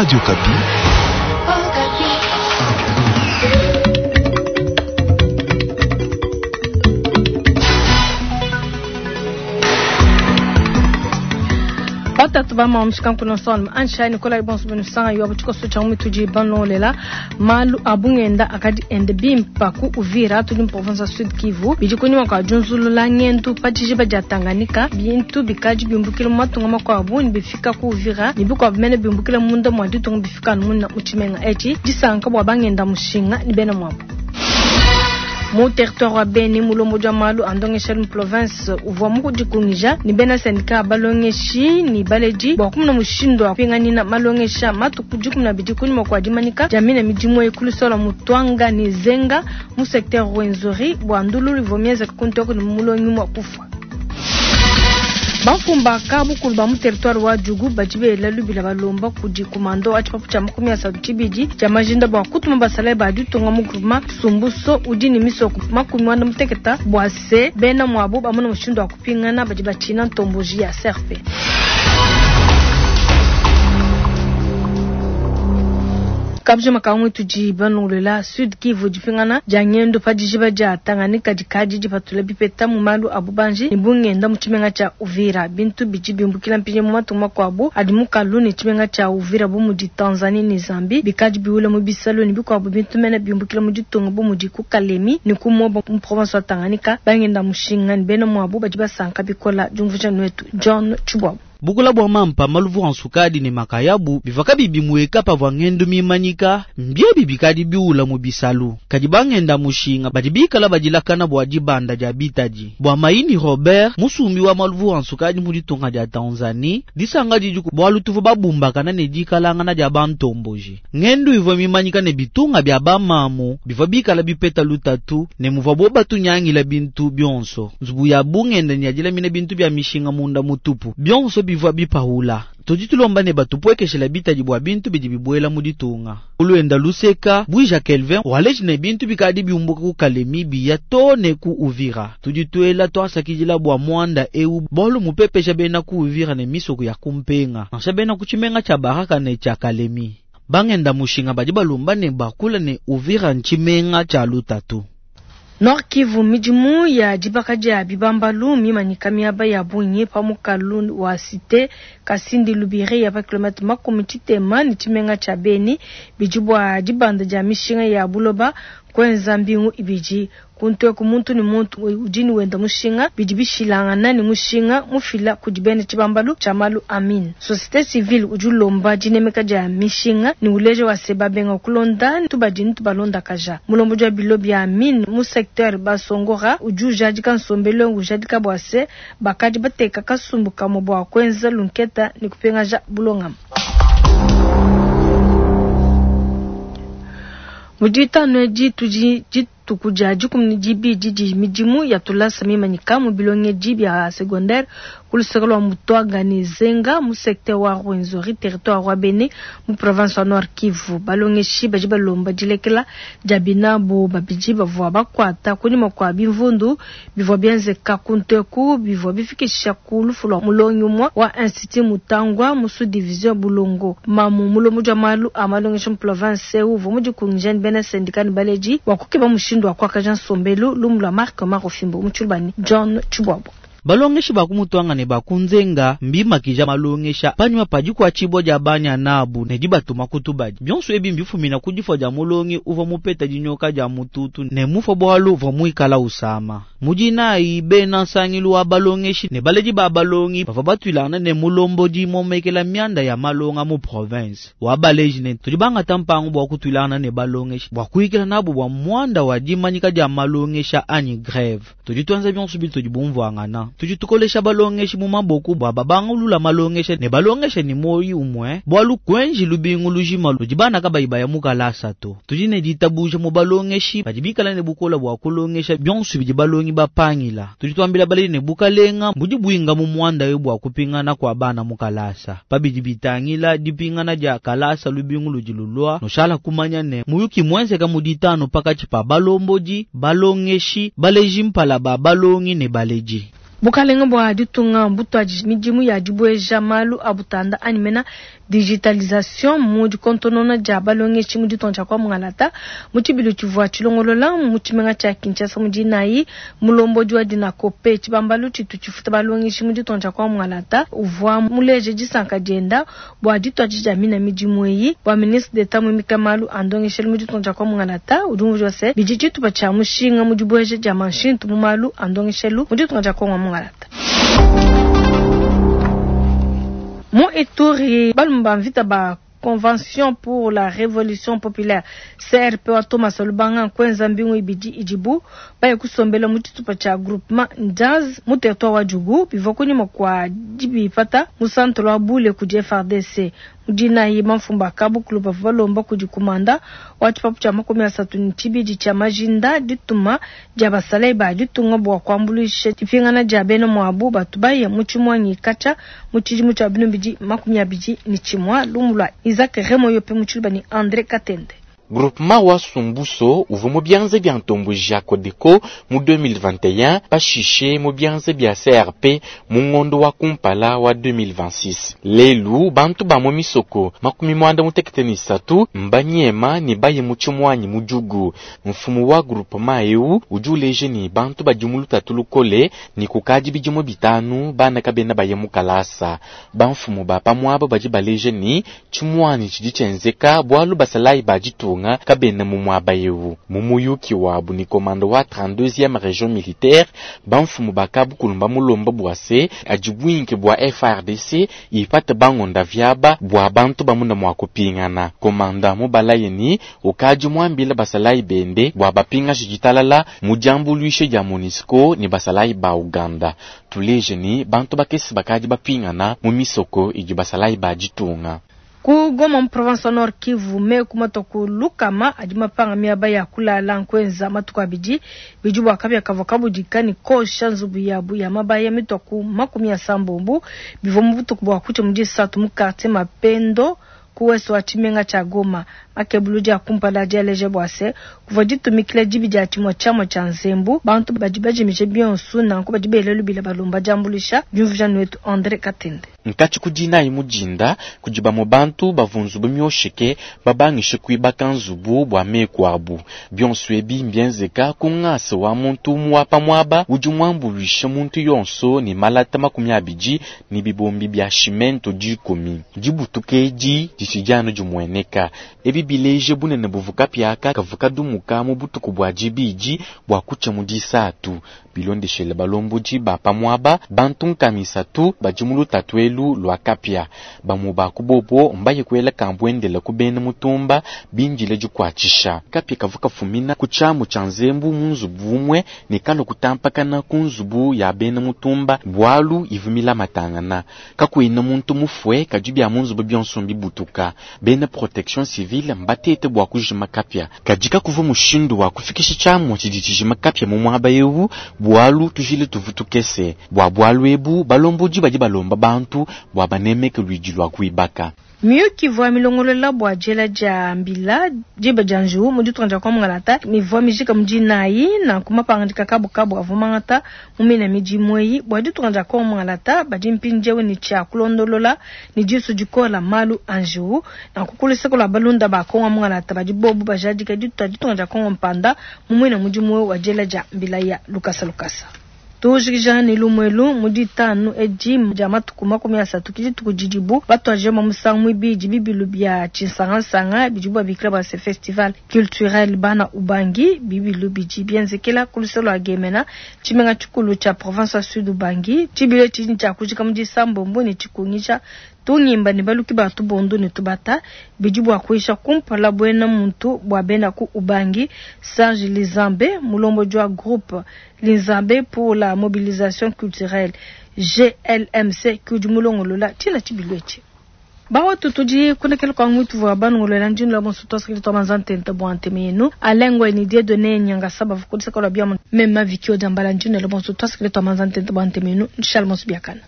Radio Okapi. Batatu ba mamu kuno son ansha ni kola ibonso benu sanga yo butiko so changu tudi banlolela malu abungenda akadi ende bimpa ku Uvira tudi mu province Sud Kivu bidi kunyuma kwa junzulula ngendu pa dijiba dia Tanganyika bintu bikadi biumbukile mu matunga makuabu ni bifika ku Uvira ni bikuabu mene biumbukile munda mwa ditunga bifika muna mu tshimenga etshi disanka bua bangenda mushinga ni bena muabu. Mu territoire wa Beni mulombodi wa malu a ndongesha mu province uvua mukudikungija ni bena syndicat balongeshi ni baledi bua kumuna mushindu wa kupinganina malongesha matuku 12 kunyuma kua dimanyika dia mine midimu eyi ku lusola Mutwanga ni Zenga mu secteur Rwenzori bua ndululu ivua mienzeka ku ntoko ne mulongi mua kufua. Bamfumba ka bukulu ba mu territoire wa Djugu badi bela lubila balomba kudi kumando wa tshipapu tshia 32 tshia majinda bua kutuma basalayi ba ditunga mu groupement Sumbuso udi ne misoko 60 bua se bena muabu bamona mushindu wa kupingana badi batshina ntomboji ya CRP. Kabjo makangu tudi banongolela Sud Kivu dipingana dia ngendo pa dijiba dia Tanganyika dikadi dipatula bipeta mu malu a bubanji ne bungenda mu tshimenga tshia Uvira. Bintu bidi biumbukila mpinye mu matunga makuabu adi mu kalu ne tshimenga tshia Uvira bu mudi Tanzanie ne Zambie bikadi biwule mu bisalu ne bikuabu bintu mene biumbukila mu ditunga bu mudi ku Kalemi ne ku Moba mu province wa Tanganyika. Bangenda mushinga ne bena muabu badi basanka bikola. Diumvuija nuetu John Tshibwabu. Bukula bua mampa maluvu a nsukadi ne makayabu bivua kabiyi bimueka pavua ngendu mimanyika, mbiebi bikadi biula mu bisalu. Kadi bangenda mushinga badi bikala badilakana bua dibanda dia bitadi. Bua Maini Robert, musumbi wa maluvu a nsukadi mu ditunga dia Tanzanie, disanga didiku bualu tuvua babumbakana ne dikalangana dia bantomboji. Ngendu ivua mimanyika ne bitunga bia bamamu bivua bikala bipeta lutatu ne muvua bo batunyangila bintu bionso. Nzubu ya bungenda ne ya dilamina bintu bia mishinga munda mutupu bionso bivua bipahula. Tudi tulomba ne batupuekeshela bitadi bua bintu bidi bibuela mu ditunga. Uluenda luseka Bwija Kelvin waleji ne bintu bikadi biumbuka ku Kalemi biya to ne ku Uvira. Tudi tuela twasakidila bua muanda eu bualu mupepesha bena ku Uvira ne misoko ya kumpenga nansha bena ku tshimenga tshia Baraka ne tshia Kalemi. Bangenda mushinga badi balomba ne bakula ne Uvira ntshimenga tshia lutatu. Nord Kivu midimu ya dibaka dia bibambalu mimanyika miaba ya bungi pa mukalu wa cité Kasindi Lubiri ya pa kilomètre 60 ne tshimenga tshia Beni bidi bua dibanda dia mishinga ya buloba kwenza mbingu ibidi. Kuntu muntu ne muntu udi ne wenda mushinga bidi bishilangana ne mushinga mufila kudi bena tshibambalu tshia malu amin. Société civile udi ulomba dinemeka dia mishinga ne uleja wa se babenga kulonda tubadi ne tubalonda kaja. Mulombodi wa bilo bia amin mu secteur Basongora udi ujadika nsombelu ujadika bua se bakadi bateka kasumbu kamwe bua kwenza lunketa ne kupengaja bulongama. Mu ditanu edi tudi dituku dia 12 didi midimu ya tulasa mimanyika mu bilongedi bia secondaire ku luseke lua Mutwanga ne Zenga mu secteur wa Rwenzori territoire wa Beni mu province wa Nord Kivu. Balongeshi badi balomba dilekela dia binabo babidi bavua bakuata kunyima kua bimvundu bivua bienzeka ku nteku bivua bifikisha ku lufu lua mulongi umue wa Institut Mutangwa mu sous-division Bulongo. Mamu mulombodi wa malu a malongesha mu province uvua mudikungija ne bena syndicat ne baledi bua kukeba mushindu wa kuakaja nsombelu lumu lua Marc Marofimbo mu Tshilubani John Tshibwabo. Balongeshi ba ku Mutwanga ne ba ku Nzenga mbimakija malongesha panyima pa dikuatshibua dia banya nabu ne dibatuma ku tubadi. Bionso ebi mbifumina ku difua dia mulongi uvua mupeta dinyoka dia mututu ne mufua bualu uvua muikala usama. Mu dinayi bena nsangilu wa balongeshi ne baledi ba balongi bavua batuilangana ne mulombodi momekela mianda ya malonga mu province wa baleji ne tudi bangata mpangu bua kutuilangana ne balongeshi bua kuyikila nabu bua muanda wa dimanyika dia malongesha anyi greve. Tudi tuenza bionso bintu tudi bumvuangana. Tudi tukolesha balongeshi mu maboku bua babangulula malongesha ne balongesha ni moyi umwe bualu kwenji lubingu lujima ludi bana kabayi baya mu kalasa to. Tudi ne ditabuja mu balongeshi badi bikala ne bukola bua kulongesha bionso bidi balongi bapangila. Tudi tuambila baledi ne bukalenga budi buinga mu muanda eu bua kupingana kua bana mu kalasa. Pabidi bitangila dipingana dia kalasa lubingu ludi lulua noshala kumanya ne muyuki mwenzeka mu ditanu pakatshi pa balombodi balongeshi baleji mpala ba balongi ne baledi. Bukalenga bua ditunga mbutuadije midimu ya dibueja malu a butanda anyi mena digitalisation mu dikontonona dia balongeshi mu ditunga dia kwa Mungalata. Mu tshibilu tshivua tshilongolola mu tshimenga tshia Kinshasa mu dinayi, mulombodi wa Dinacope, tshibambalu tshitu tshifuta balongeshi mu ditunga dia kwa Mungalata, uvua muleje disanka dienda bua dituadija dia mina midimu eyi. Bua ministre d'Etat muimika malu a ndongeshelu mu ditunga dia kwa Mungalata, udi umvuija se, bidi tshitupa tshia mushinga mu dibueja dia manshintu mu malu a ndongeshelu mu ditunga dia Kongo wa Mungalata. Mu Ituri, balume ba mvita ba Convention pour la Revolution Populaire CRP wa Thomas Lubanga nkuenza mbingu ibidi idibu baye kusombela mu tshitupa tshia groupement Njaz mu territoire wa Djugu bivua kunyima kua dibipata mu centre wa Bule kudi FARDC. Mu dinayi bamfumu ba kabukulu bavua balomba kudi kumanda wa tshipapu tshia 32 tshia majinda dituma dia basalayi ba ditunga bua kuambuluisha dipingana dia bena muabu batu baye mu tshimuangi katshia mu tshidimu tshia 2021. Lumu lua Isaac Remoyope mu tshiluba ne Andre Katende. Groupement wa Sumbuso uvua mu bianza bia ntomboji ya Codeco mu 2021, pashishe mu bianza bia CRP mu ngondo wa kumpala wa 2026. Lelu bantu ba mu misoko 83 mbanyema ne baye mu tshimuanyi mu Djugu. Mfumu wa groupement eu udi uleja ne bantu badi mu lutatu lukole ne kukadi bidimu 5 bana kabena baye mu kalasa. Bamfumu ba pamuaba badi baleja ne tshimuanyi tshidi tshienzeka bualu basalayi ba ditunga kabena mu muaba eu. Mu muyuki wabu ni komando wa 32e region militaire, bamfumu bakabukulu bamulomba bua se adi bwinke bua FARDC ipate bangonda vyaba bua bantu bamuna mua kupingana. Komanda mubalaye ni ukadi muambila basalayi bende bua bapinga jitalala mu diambuluishe dia MONUSCO ni basalayi ba Uganda. Tuleje ni bantu bakesi bakadi bapingana mu misoko idi basalayi ba ditunga. Ku Goma mu province wa Nord Kivu me kumatoku lukama adi mapanga miaba ya kulala nkwenza matuku abidi bidi bua kapia kavua kabudika ne kosha nzubu yabu ya mabaya mitoku 80 bivua mu butuku bua kutsha mu disatu mu quartier Mapendo ku ouest wa tshimenga tshia Goma. Makebulu dia kumpala dialeja bua se kuvua ditumikila dibi dia tshimue tshiamua tshia nzembu bantu badi bajimije bionso nanku badi bela lubila balomba diambuluisha. Diumvuija wetu Andre Katende. Nkatshi kudinayi mudinda kudi bamwe bantu bavunzubu myoshike babangishe kuibaka nzubu bua meku abu. Bionso ebi mbienzeka ku ngasa wa muntu muapa muaba udi muambuluisha muntu yonso ne malata 20 ne bibombi bia cimento 10. Dibutuke edi ditshidi dimueneka. Ebi bileje bunene buvuka piaka kavuka dumuka mu butuku bua dibidi bua kutsha mu disatu. Bilondeshele balombodi ba pamuaba bantu nkamisatu badi mu lutatu elu lwa kapia. Bamu ba kubobo mbaye kuela kambwendela kubena mutumba binjile dikwatshisha. Kapia kavuka fumina ku tshiamu tshia nzembu mu nzubu umwe ne kalo kutampakana ku nzubu ya bena mutumba bwalu ivumila matangana. Kakuina muntu mufwe kadi bia mu nzubu bionso mbibutuka. Bena protection civile mbatete bua kujima kapia. Kadi kakuva mushindu wa kufikisha tshiamu tshidi tshijima kapia mu muaba eu bwalu tujile tuvutukese. Bua bwalu ebu balombodi badi balomba bantu bua banemeke lwidi lwa kuibaka. Miyuki ivua milongolola bua diela dia mbila diba dia njiwu mu ditunga dia kwa Mungalata mivua mijika mu dinayi nanku mapangadika kabukabu avua mangata mu mina midimu eyi bua ditunga dia kwa Mungalata badi mpindieu ne tshia kulondolola ne disu dikola malu a njiwu nanku kuluseko lua balunda ba Kongo Mungalata badi bobu bajadika ditunga dia Kongo mpanda mu mwina mudimu wa diela dia mbila ya lukasa lukasa. Tujikija ne lumwelu mu ditanu edi dia matuku 30 kidituku didibu batwaje mu musangu mwibidi bibilu bia tshinsangansanga bidibu babikila bua se festival culturel bana Ubangi bibilu bidi bienzekela ku lusolo lua Gemena tshimenga tshikulu tshia province ya Sud Ubangi tshibile tshidi tshia kujika mu disambombo ne tshikungisha tungimba ne baluki ba tubondo ne tubata bidi bua kuisha kumpala buena muntu bua bena ku Ubangi. Serge Lizambe mulombodi wa groupe Lizambe pour la mobilisation culturelle GLMC kudi mulongolola tshina tshibilwechi. Bawa tutudi kunekela kwa mwitu wa banongolola njini la bonso twasakili twa manzantente bwa ntemenu alengwe ni Dieudonné Nyangasaba vukodisa kwa bia mema vikio jambala njini la bonso twasakili twa manzantente bwa ntemenu nshalmo biakana.